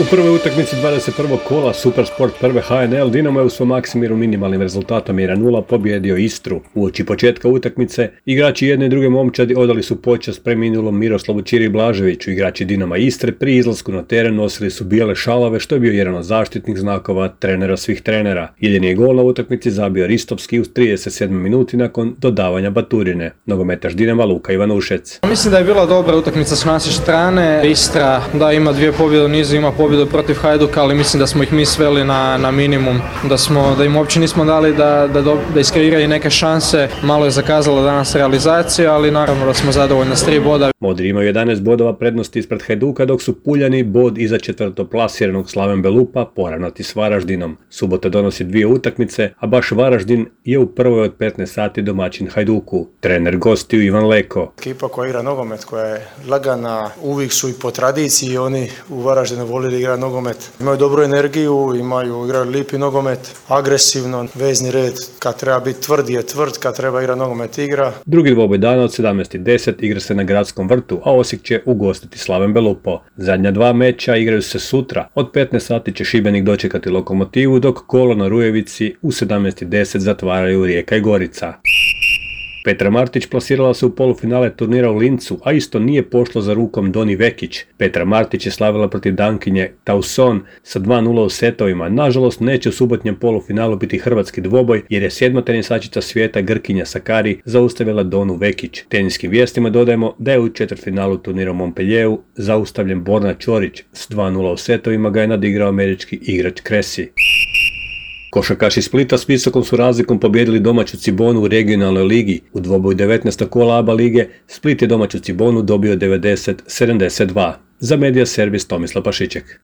U prvoj utakmici 21. kola Supersport prve HNL Dinamo je u svom Maksimiru minimalnim rezultatom 1:0 pobjedio Istru. Uoči početka utakmice igrači jedne i druge momčadi odali su počast preminulom Miroslavu Ćiri Blaževiću. Igrači Dinama Istre pri izlasku na teren nosili su bijele šalove, što je bio jedan od zaštitnih znakova trenera svih trenera. Jedini je gol na utakmici zabio Ristovski u 37. minuti nakon dodavanja baturine. Nogometaš Dinama Luka Ivanušec. Mislim da je bila dobra utakmica s naše strane. Istra da ima 2 pobjede u nizu, ima pobjedu protiv Hajduka, ali mislim da smo ih mi sveli na minimum, da im uopće nismo dali da iskreiraju neke šanse. Malo je zakazala danas realizacija, ali naravno da smo zadovoljni s 3 boda. Modri imaju 11 bodova prednosti ispred Hajduka, dok su Puljani bod iza četvrtoplasiranog Slaven Belupa poravnati s Varaždinom. Subota donosi 2 utakmice, a baš Varaždin je u prvoj od 15 sati domaćin Hajduku. Trener gostiju Ivan Leko. Ekipa koja igra nogomet, koja je lagana, uvijek su i po tradiciji, oni u Varaždinu volili igrati nogomet. Imaju dobru energiju, igraju lipi nogomet, agresivno, vezni red, kad treba biti tvrd je tvrd, kad treba igrati nogomet igra. Drugi dvoboj dana od 17:10 igra se na Gradskom vrtu, a Osijek će ugostiti Slaven Belupo. Zadnja 2 meča igraju se sutra. Od 15 sati će Šibenik dočekati Lokomotivu, dok kolo na Rujevici u 17:10 zatvaraju Rijeka i Gorica. Petra Martić plasirala se u polufinale turnira u Lincu, a isto nije pošlo za rukom Doni Vekić. Petra Martić je slavila protiv Dankinje Tauson sa 2:0 u setovima. Nažalost, neće u subotnjem polufinalu biti hrvatski dvoboj, jer je 7. tenisačica svijeta Grkinja Sakari zaustavila Donu Vekić. Teniskim vijestima dodajemo da je u četvrtfinalu turnira u Montpellieru zaustavljen Borna Ćorić. S 2:0 u setovima ga je nadigrao američki igrač Cressy. Košarkaši Splita s visokom su razlikom pobijedili domaću Cibonu u regionalnoj ligi. U dvoboju 19. kola ABA lige Split je domaću Cibonu dobio 90-72. Za Medija Servis Tomislav Pašiček.